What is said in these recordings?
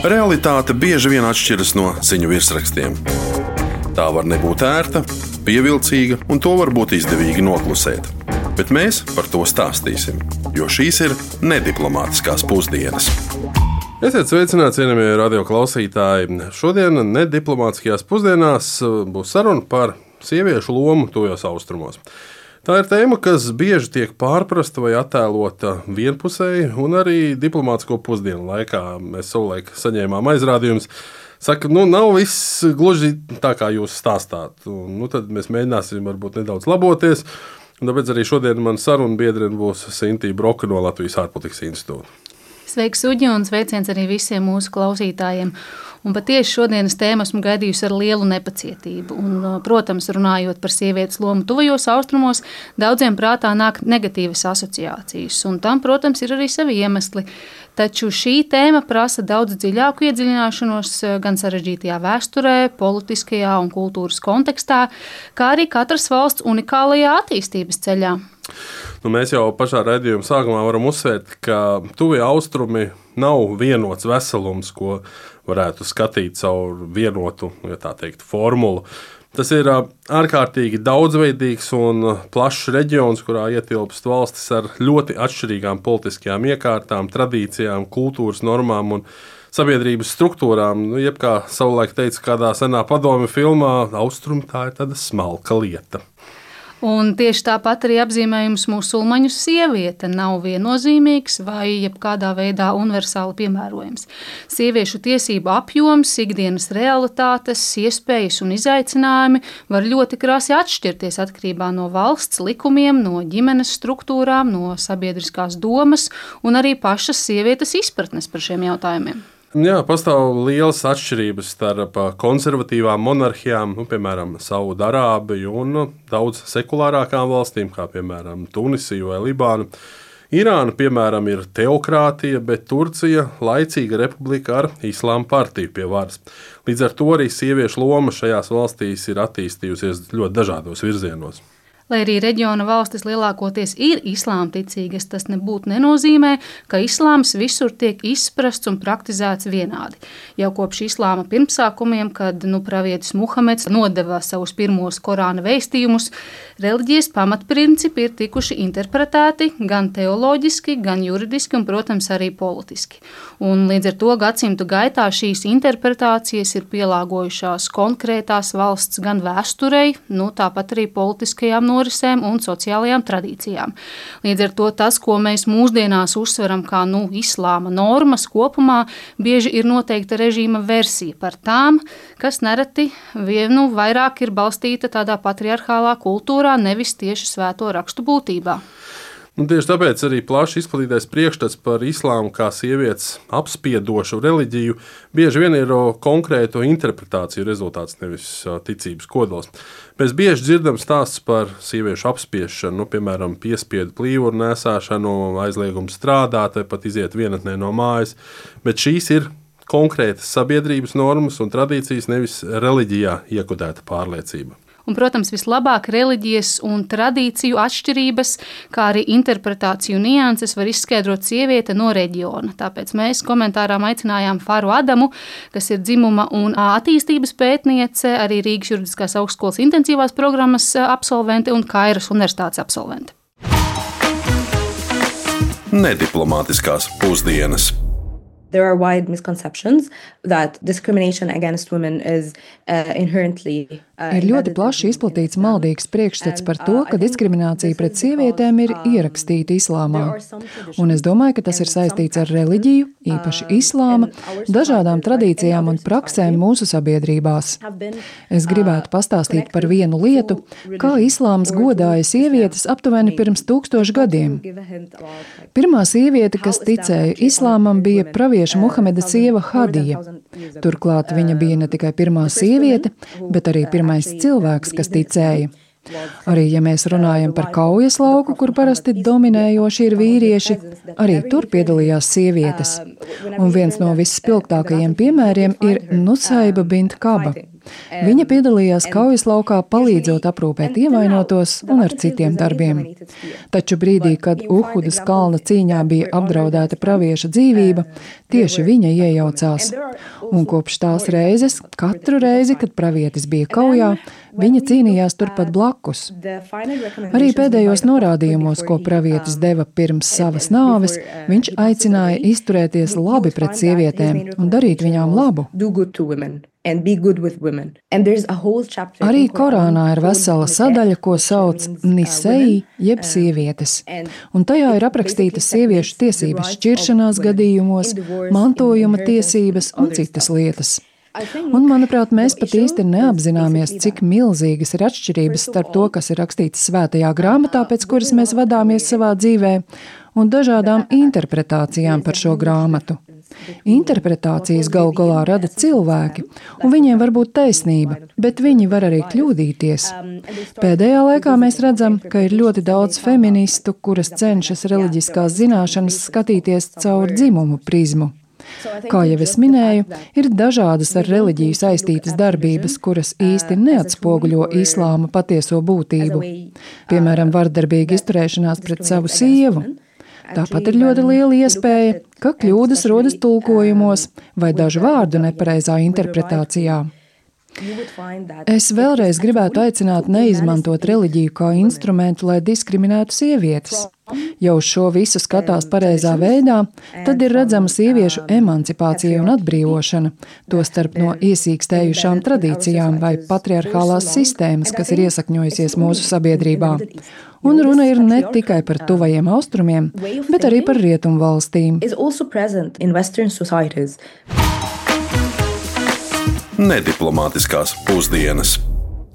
Realitāte bieži vien atšķiras no ziņu virsrakstiem. Tā var nebūt ērta, pievilcīga, un to var būt izdevīgi noklusēt. Bet mēs par to stāstīsim, jo šīs ir nediplomātiskās pusdienas. Esiet sveicināti, cienījamie radioklausītāji. Šodien nediplomātiskajās pusdienās būs saruna par sieviešu lomu tuvajos austrumos. Tā ir tēma, kas bieži tiek pārprasta vai attēlota vienpusēji, un arī diplomātisko pusdienu laikā mēs savulaik saņēmām aizrādījumus. Saka, nav viss gluži tā, kā jūs stāstāt. Tad mēs mēģināsim varbūt nedaudz laboties. Un tāpēc arī šodien man saruna biedrene būs Sintīja Broka no Latvijas ārpolitikas institūta. Sveiks, Uģi, un sveiciens arī visiem mūsu klausītājiem. Un patiesi šodienas tēmu esmu gaidījusi ar lielu nepacietību. Un, protams, runājot par sievietes lomu tuvajos austrumos, daudziem prātā nāk negatīvas asociācijas. Un tam, protams, ir arī savi iemesli. Taču šī tēma prasa daudz dziļāku iedziļināšanos gan sarežģītajā vēsturē, politiskajā un kultūras kontekstā, kā arī katras valsts unikālajā attīstības ceļā. Mēs jau pašā raidījuma sākumā varam uzsvērt, ka tuvie austrumi nav vienots veselums, ko varētu skatīt caur vienotu, ja tā teikt, formulu. Tas ir ārkārtīgi daudzveidīgs un plašs reģions, kurā ietilpst valstis ar ļoti atšķirīgām politiskajām iekārtām, tradīcijām, kultūras normām un sabiedrības struktūrām. Jeb kā savulaik teica kādā senā padomju filmā, austrumi tā ir tāda smalka lieta. Un tieši tāpat arī apzīmējums musulmaņu sieviete nav viennozīmīgs vai jebkādā veidā universāli piemērojams. Sieviešu tiesību apjoms, ikdienas realitātes, iespējas un izaicinājumi var ļoti krasi atšķirties atkarībā no valsts likumiem, no ģimenes struktūrām, no sabiedriskās domas un arī pašas sievietes izpratnes par šiem jautājumiem. Jā, pastāv lielas atšķirības starp konservatīvām monarhijām, piemēram, Saudarābiju un daudz sekulārākām valstīm, kā piemēram Tunisiju vai Libānu. Irāna, piemēram, ir teokrātija, bet Turcija – laicīga republika ar islāma partiju pie varas. Līdz ar to arī sieviešu loma šajās valstīs ir attīstījusies ļoti dažādos virzienos. Lai arī reģiona valstis lielākoties ir islāmticīgas, tas nebūtu nenozīmē, ka islāms visur tiek izprasts un praktizēts vienādi. Jau kopš islāma pirmsākumiem, kad pravietis Muhameds nodeva savus pirmos Korāna vēstījumus, reliģijas pamatprincipi ir tikuši interpretēti gan teoloģiski, gan juridiski un, protams, arī politiski. Un līdz ar to gadsimtu gaitā šīs interpretācijas ir pielāgojušās konkrētās valsts gan vēsturei, tāpat arī politiskajām norisēm un sociālajām tradīcijām. Līdz ar to tas, ko mēs mūsdienās uzsveram kā islāma normas kopumā, bieži ir noteikta režīma versija par tām, kas nereti vairāk ir balstīta tādā patriarchālā kultūrā, nevis tieši svēto rakstu būtībā. Tieši tāpēc arī plaši izplatītais priekšstats par islāmu kā sievietes apspiedošu reliģiju bieži vien ir konkrētu interpretāciju rezultāts, nevis ticības kodols. Mēs bieži dzirdam stāstus par sieviešu apspiešanu, piemēram, piespiedu plīvuru nēsāšanu, aizliegumu strādāt vai pat iziet vienatnē no mājas, bet šīs ir konkrētas sabiedrības normas un tradīcijas, nevis reliģijā iekodēta pārliecība. Un, protams, vislabāk reliģijas un tradīciju atšķirības, kā arī interpretāciju nianses var izskaidrot sieviete no reģiona. Tāpēc mēs komentārā aicinājām Faru Adamu, kas ir dzimuma un attīstības pētniece, arī Rīgas juridiskās augstskolas intensīvās programmas absolvente un Kairas universitātes absolvente. Nediplomātiskās pusdienas. There are wide misconceptions that discrimination against women is inherently Ir ļoti plaši izplatīts maldīgs priekšstats par to, ka diskriminācija pret sievietēm ir ierakstīta islāmā. Un es domāju, ka tas ir saistīts ar reliģiju, īpaši islāma, dažādām tradīcijām un praksēm mūsu sabiedrībās. Es gribētu pastāstīt par vienu lietu, kā islāms godāja sievietes aptuveni pirms 1000 gadiem. Pirmā sieviete, kas ticēja islāmam, bija pravieša Muhameda sieva Hadija. Turklāt viņa bija ne tikai pirmā sieviete, bet arī pirmais cilvēks, kas ticēja. Arī, ja mēs runājam par kaujas lauku, kur parasti dominējoši ir vīrieši, arī tur piedalījās sievietes. Un viens no visspilgtākajiem piemēriem ir Nusaiba bint Kaba. Viņa piedalījās kaujaslaukā, palīdzot aprūpēt ievainotos un ar citiem darbiem. Taču brīdī, kad Uhudas kalna cīņā bija apdraudēta pravieša dzīvība, tieši viņa iejaucās. Un kopš tās reizes, katru reizi, kad pravietis bija kaujā, viņa cīnījās turpat blakus. Arī pēdējos norādījumos, ko pravietis deva pirms savas nāves, viņš aicināja izturēties labi pret sievietēm un darīt viņām labu. Arī Korānā ir vesela sadaļa, ko sauc Nisei, jeb sievietes, un tajā ir aprakstītas sieviešu tiesības šķiršanās gadījumos, mantojuma tiesības un citas lietas. Un, manuprāt, mēs pat īsti neapzināmies, cik milzīgas ir atšķirības starp to, kas ir rakstīts svētajā grāmatā, pēc kuras mēs vadāmies savā dzīvē, un dažādām interpretācijām par šo grāmatu. Interpretācijas galu galā rada cilvēki, un viņiem var būt taisnība, bet viņi var arī kļūdīties. Pēdējā laikā mēs redzam, ka ir ļoti daudz feministu, kuras cenšas reliģiskās zināšanas skatīties caur dzimumu prizmu. Kā jau es minēju, ir dažādas ar reliģiju saistītas darbības, kuras īsti neatspoguļo islāma patieso būtību. Piemēram, vardarbīga izturēšanās pret savu sievu. Tāpat ir ļoti liela iespēja, ka kļūdas rodas tulkojumos vai dažu vārdu nepareizā interpretācijā. Es vēlreiz gribētu aicināt neizmantot reliģiju kā instrumentu, lai diskriminētu sievietes. Ja uz šo visu skatās pareizā veidā, tad ir redzama sieviešu emancipācija un atbrīvošana, tostarp no iesīkstējušām tradīcijām vai patriarchālās sistēmas, kas ir iesakņojusies mūsu sabiedrībā. Un runa ir ne tikai par tuvajiem austrumiem, bet arī par rietumu valstīm. Nediplomātiskās pusdienas.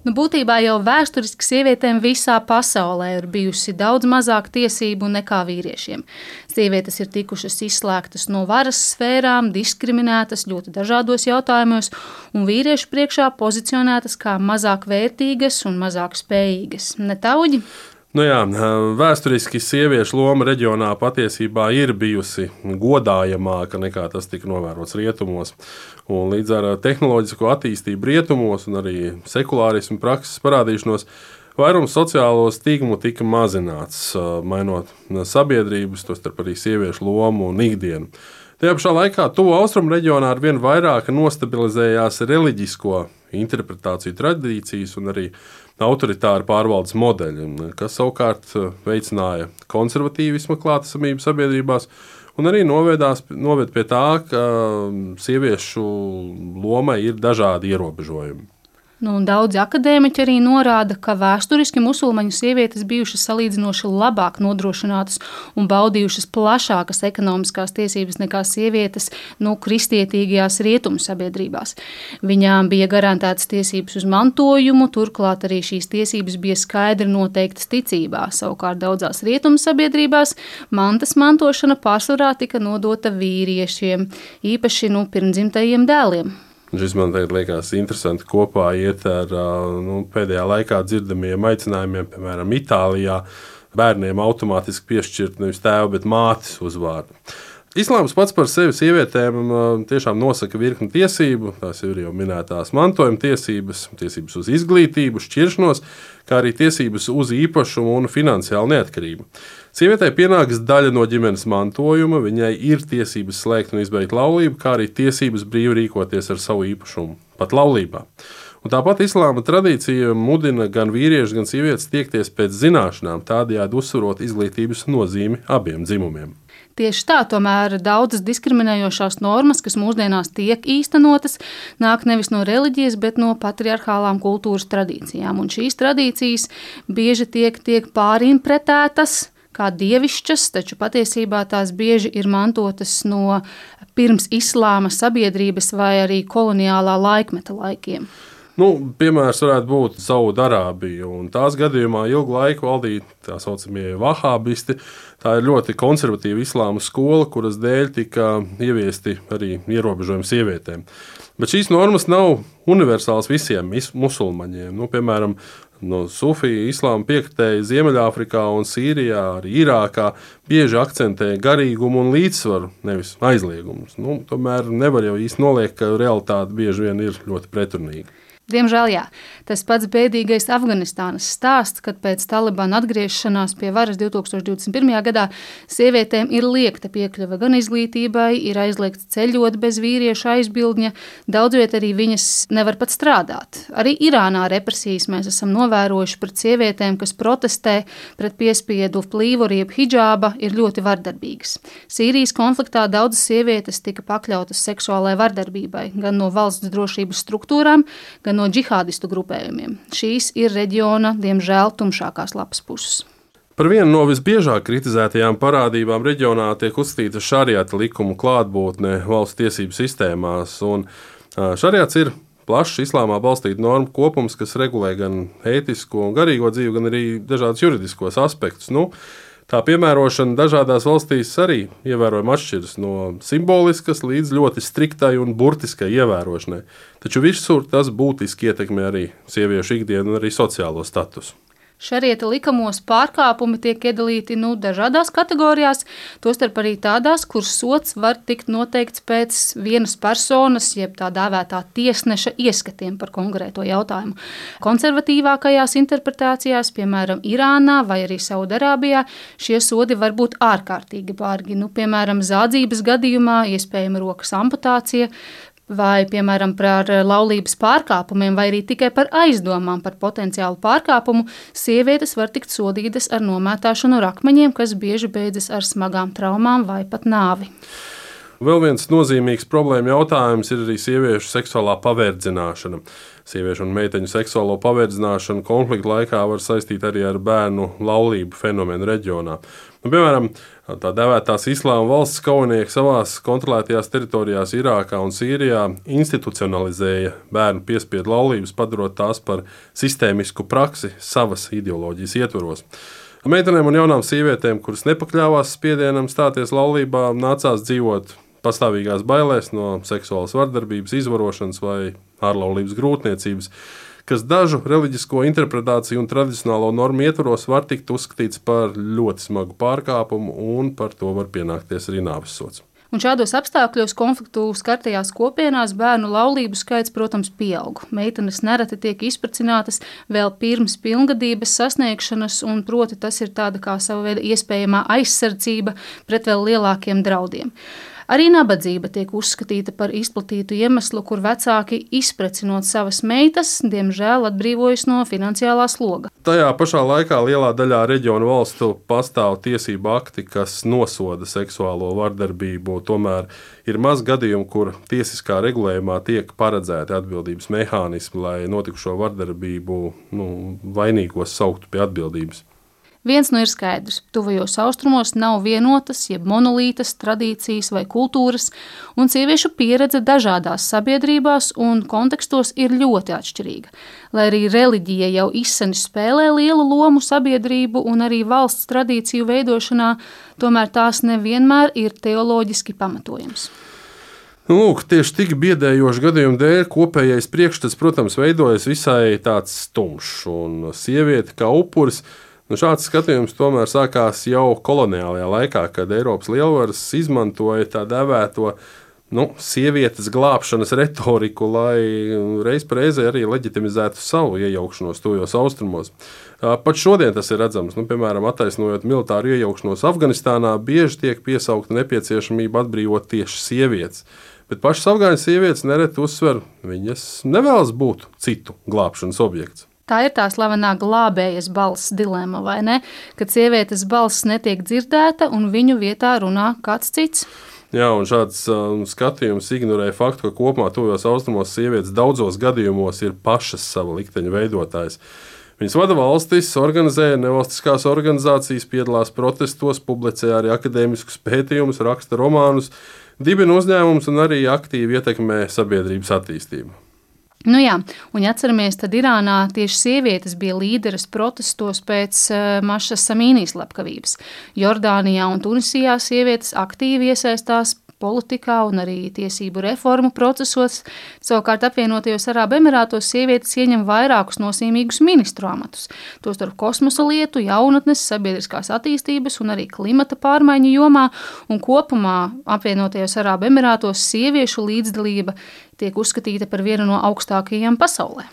Būtībā jau vēsturiski sievietēm visā pasaulē ir bijusi daudz mazāk tiesību nekā vīriešiem. Sievietes ir tikušas izslēgtas no varas sfērām, diskriminētas ļoti dažādos jautājumos, un vīriešu priekšā pozicionētas kā mazāk vērtīgas un mazāk spējīgas. Ne tauģi? Vēsturiski sieviešu loma reģionā patiesībā ir bijusi godājamāka nekā tas tika novērots rietumos. Un līdz ar tehnoloģisko attīstību rietumos un arī sekulārismu prakses parādīšanos, vairums sociālo stigmu tika mazināts, mainot sabiedrības, tostarp arī sieviešu lomu un ikdienu. Tajā pašā laikā tuvu austrumu reģionā arvien vairāk nostabilizējās reliģisko interpretāciju tradīcijas un arī autoritāra pārvaldes modeļi, kas savukārt veicināja konservatīvisma klātesamību sabiedrībās un arī noved pie tā, ka sieviešu lomai ir dažādi ierobežojumi. Daudzi akadēmiķi arī norāda, ka vēsturiski musulmaņu sievietes bijušas salīdzinoši labāk nodrošinātas un baudījušas plašākas ekonomiskās tiesības nekā sievietes kristietīgajās rietumu sabiedrībās. Viņām bija garantētas tiesības uz mantojumu, turklāt arī šīs tiesības bija skaidri noteiktas ticībā. Savukārt daudzās rietumu sabiedrībās mantas mantošana pārsvarā tika nodota vīriešiem, īpaši pirmdzimtajiem dēliem. Šis man tagad liekas interesanti kopā iet ar pēdējā laikā dzirdamiem aicinājumiem, piemēram, Itālijā bērniem automātiski piešķirt nevis tēva, bet mātes uzvārdu. Islāms pats par sevi sievietēm tiešām nosaka virkni tiesību, tās ir jau minētās mantojuma tiesības, tiesības uz izglītību, šķiršanos, kā arī tiesības uz īpašumu un finansiālu neatkarību. Sievietei pienākas daļa no ģimenes mantojuma, viņai ir tiesības slēgt un izbeigt laulību, kā arī tiesības brīvi rīkoties ar savu īpašumu, pat laulībā. Un tāpat islāma tradīcija mudina gan vīriešus, gan sievietes tiekties pēc zināšanām, tādējādi uzsverot izglītības nozīmi abiem dzimumiem. Tieši tā, tomēr daudzas diskriminējošās normas, kas mūsdienās tiek īstenotas, nāk nevis no reliģijas, bet no patriarchālām kultūras tradīcijām. Un šīs tradīcijas bieži tiek pārinterpretētas kā dievišķas, taču patiesībā tās bieži ir mantotas no pirms islāma sabiedrības vai arī koloniālā laikmeta laikiem. Piemērs varētu būt Saudarābija, un tās gadījumā ilgu laiku valdīja tā saucamie vahābisti. Tā ir ļoti konservatīva islāma skola, kuras dēļ tika ieviesti arī ierobežojumi sievietēm. Bet šīs normas nav universāls visiem musulmaņiem. Piemēram, no sufiju islāma piekritēji Ziemeļāfrikā un Sīrijā, arī Irākā bieži akcentē garīgumu un līdzsvaru, nevis aizliegumus. Tomēr nevar jau īsti noliegt, ka realitāte bieži vien ir ļoti pretrunīga. Diemžēl jā. Tas pats bēdīgais Afganistānas stāsts, kad pēc Talibana atgriešanās pie varas 2021. gadā sievietēm ir liekta piekļuve gan izglītībai, ir aizliegts ceļot bez vīrieša aizbildņa, daudzviet arī viņas nevar pat strādāt. Arī Irānā represijas mēs esam novērojuši pret sievietēm, kas protestē pret piespiedu plīvuru jeb hidžāba, ir ļoti vardarbīgas. Sīrijas konfliktā daudzas sievietes tika pakļautas seksuālai vardarbībai, gan no valsts drošības struktūrām, gan no džihādistu grupējumiem. Šīs ir reģiona, diemžēl, tumšākās lapas puses. Par vienu no visbiežāk kritizētajām parādībām reģionā tiek uzskatīta šariata likumu klātbūtne valsts tiesību sistēmās. Šariats ir plašs islāmā balstīta normu kopums, kas regulē gan ētisko un garīgo dzīvi, gan arī dažādus juridiskos aspektus. Tā piemērošana dažādās valstīs arī ievērojami atšķiras no simboliskas līdz ļoti striktai un burtiskai ievērošanai. Taču visur tas būtiski ietekmē arī sieviešu ikdienu un arī sociālo statusu. Šariata likumos pārkāpumi tiek iedalīti dažādās kategorijās, tostarp arī tādās, kur sods var tikt noteikts pēc vienas personas, jeb tā dēvētā tiesneša ieskatiem par konkrēto jautājumu. Konservatīvākajās interpretācijās, piemēram, Irānā vai arī Saudarābijā, šie sodi var būt ārkārtīgi bargi. Piemēram, zādzības gadījumā iespējama rokas amputācija, vai, piemēram, par laulības pārkāpumiem, vai arī tikai par aizdomām par potenciālu pārkāpumu, sievietes var tikt sodītas ar nomētāšanu ar akmeņiem, kas bieži beidzas ar smagām traumām vai pat nāvi. Vēl viens nozīmīgs problēma jautājums ir arī sieviešu seksuālā paverdzināšana. Sieviešu un meiteņu seksuālo paverdzināšanu konflikta laikā var saistīt arī ar bērnu laulību fenomenu reģionā. Piemēram, tā dēvētās islāma valsts kaujinieki savās kontrolētajās teritorijās Irākā un Sīrijā institucionalizēja bērnu piespiedu laulības, padarot tās par sistēmisku praksi savas ideoloģijas ietvaros. Meitenēm un jaunām sievietēm, kuras nepakļāvās spiedienam stāties laulībā, nācās dzīvot pastāvīgās bailēs no seksuālas vardarbības, izvarošanas vai ārlaulības grūtniecības, kas dažu reliģisko interpretāciju un tradicionālo normu ietvaros var tikt uzskatīts par ļoti smagu pārkāpumu, un par to var pienākties arī nāvessods. Un šādos apstākļos konfliktu skartajās kopienās bērnu laulību skaits, protams, pieaug. Meitenes nereti tiek izprecinātas vēl pirms pilngadības sasniegšanas, un proti tas ir tāda kā sava veida iespējamā aizsardzība pret vēl lielākiem draudiem. Arī nabadzība tiek uzskatīta par izplatītu iemeslu, kur vecāki izprecinot savas meitas, diemžēl atbrīvojas no finansiālā sloga. Tajā pašā laikā lielā daļā reģionu valstu pastāv tiesību akti, kas nosoda seksuālo vardarbību. Tomēr ir maz gadījumu, kur tiesiskā regulējumā tiek paredzēti atbildības mehānismi, lai notikušo vardarbību vainīgos sauktu pie atbildības. Viens ir skaidrs, tuvajos austrumos nav vienotas, jeb monolītas tradīcijas vai kultūras, un sieviešu pieredze dažādās sabiedrībās un kontekstos ir ļoti atšķirīga. Lai arī reliģija jau izseni spēlē lielu lomu sabiedrību un arī valsts tradīciju veidošanā, tomēr tās nevienmēr ir teoloģiski pamatojams. Tieši tik biedējošu gadījumu dēļ kopējais priekšstats, protams, veidojas visai tāds tumšs, un sieviete kā upuris. Šāds skatījums tomēr sākās jau koloniālajā laikā, kad Eiropas lielvaras izmantoja tā dēvēto sievietes glābšanas retoriku, lai reiz par reizē arī leģitimizētu savu iejaukšanos tuvajos austrumos. Pat šodien tas ir redzams. Piemēram, attaisnojot militāru iejaukšanos Afganistānā, bieži tiek piesaukta nepieciešamība atbrīvot tieši sievietes. Bet pašas afgāņu sievietes nereti uzsver, viņas nevēlas būt citu glābšanas objekts. Tā ir tā slavenā glābējas balss dilema, vai ne? Kad sievietes balss netiek dzirdēta un viņu vietā runā kāds cits. Jā, un šāds skatījums ignorē faktu, ka kopumā tuvajos austrumos sievietes daudzos gadījumos ir pašas sava likteņa veidotājs. Viņas vada valstis, organizē nevalstiskās organizācijas, piedalās protestos, publicē arī akadēmiskus pētījumus, raksta romānus, dibina uzņēmumus un arī aktīvi ietekmē sabiedrības attīstību. Jā, un atceramies, tad Irānā tieši sievietes bija līderes protestos pēc Mašas Samīnijas slepkavības. Jordānijā un Tunisijā sievietes aktīvi iesaistās politikā un arī tiesību reformu procesos. Savukārt apvienotajos Arābu Emirātos sievietes ieņem vairākus nozīmīgus ministru amatus, tostarp kosmosa lietu, jaunatnes, sabiedriskās attīstības un arī klimata pārmaiņu jomā, un kopumā apvienotajos Arābu Emirātos sieviešu līdzdalība tiek uzskatīta par vienu no augstākajām pasaulē.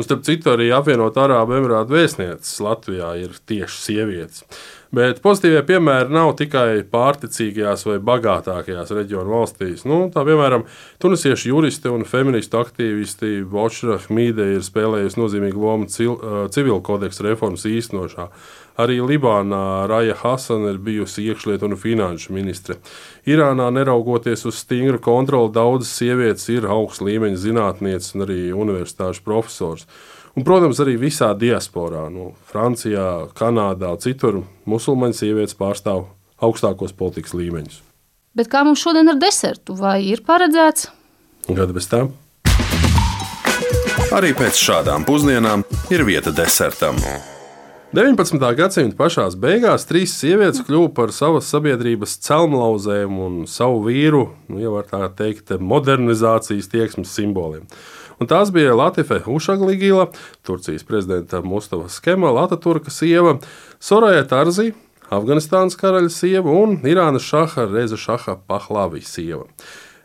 Un starp citu, arī apvienot Arābu Emirātu vēstnieces Latvijā ir tieši sievietes. Bet pozitīvie piemēri nav tikai pārticīgajās vai bagātākajās reģionu valstīs. Tā piemēram, tunisiešu juristi un feministu aktīvisti Bošra Hmīde ir spēlējusi nozīmīgu lomu civil kodeksa reformas īstenošanā. Arī Libānā Raja Hasana ir bijusi iekšlietu un finanšu ministre. Irānā, neraugoties uz stingru kontroli, daudzas sievietes ir augsta līmeņa zinātnieces un arī universitāšu profesors. Un, protams, arī visā diasporā, Francijā, Kanādā un citur musulmaņu sievietes pārstāv augstākos politikas līmeņus. Bet kā mums šodien ar desertu? Vai ir paredzēts? Gada bez tām. Arī pēc šādām pusdienām ir vieta desertam. 19. gadsimta pašās beigās 3 sievietes kļuva par savas sabiedrības celmlauzēm un savu vīru, ja var tā teikt, modernizācijas tieksmes simboliem. Un tās bija Latife Ušagligila, Turcijas prezidenta Mustafas Kemala Ataturka sieva, Soraja Tarzi, Afganistānas karaļa sieva un Irānas šaha Reza Šaha Pahlavi sieva.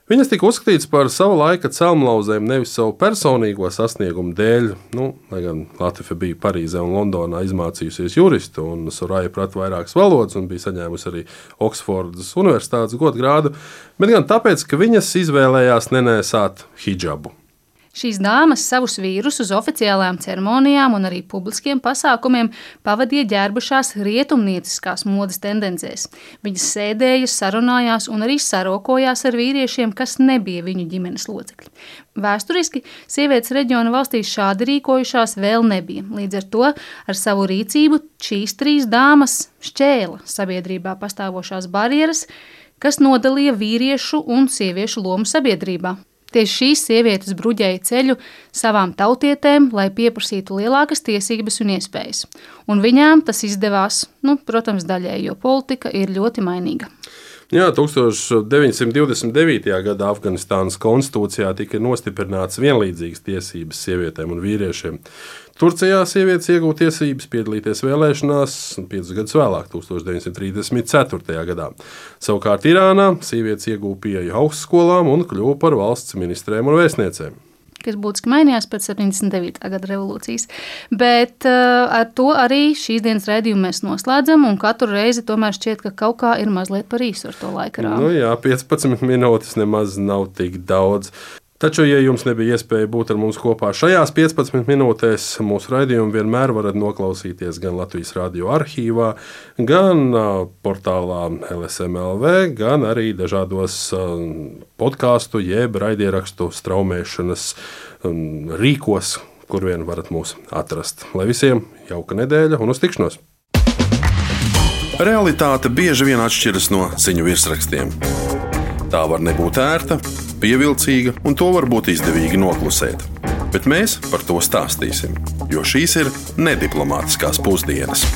Viņas tika uzskatītas par savu laika celmlauzēm nevis savu personīgo sasniegumu dēļ, lai gan Latife bija Parīzē un Londonā izmācījusies juristu, un Soraja prata vairākas valodas un bija saņēmusi arī Oksfordas universitātes godgrādu, bet gan tāpēc, ka viņas izvēlējās nenēsāt hidžabu. Šīs dāmas savus vīrus uz oficiālām ceremonijām un arī publiskiem pasākumiem pavadīja ģērbušās rietumnieciskās modes tendencēs. Viņas sēdēja, sarunājās un arī sarokojās ar vīriešiem, kas nebija viņu ģimenes locekļi. Vēsturiski sievietes reģiona valstīs šādi rīkojušās vēl nebija. Līdz ar to ar savu rīcību šīs 3 dāmas šķēla sabiedrībā pastāvošās barjeras, kas nodalīja vīriešu un sieviešu lomu sabiedrībā. Tieši šīs sievietes bruģēja ceļu savām tautietēm, lai pieprasītu lielākas tiesības un iespējas. Un viņām tas izdevās, protams, daļēji, jo politika ir ļoti mainīga. Jā, 1929. gadā Afganistānas konstitūcijā tika nostiprināts vienlīdzīgas tiesības sievietēm un vīriešiem. Turcijā sievietes iegūta tiesības piedalīties vēlēšanās 5 gadus vēlāk, 1934. gadā. Savukārt Irānā sievietes iegūta pieeju augstskolām un kļuva par valsts ministrēm un vēstniecēm, kas būtiski mainījās pēc 79. gada revolūcijas. Bet ar to arī šīs dienas raidījumu mēs noslēdzam, un katru reizi tomēr šķiet, ka kaut kā ir mazliet par īsu ar to laika rāmu. Jā, 15 minūtes nemaz nav tik daudz. Taču, ja jums nebija iespēja būt ar mums kopā šajās 15 minūtēs, mūsu raidījumu vienmēr varat noklausīties gan Latvijas radio arhīvā, gan portālā LSM.LV, gan arī dažādos podcastu jeb raidierakstu straumēšanas rīkos, kur vien varat mūs atrast. Lai visiem jauka nedēļa un uz tikšanos! Realitāte bieži vien atšķiras no ziņu virsrakstiem. Tā var nebūt ērta, pievilcīga, un to var būt izdevīgi noklusēt. Bet mēs par to stāstīsim, jo šīs ir nediplomātiskās pusdienas.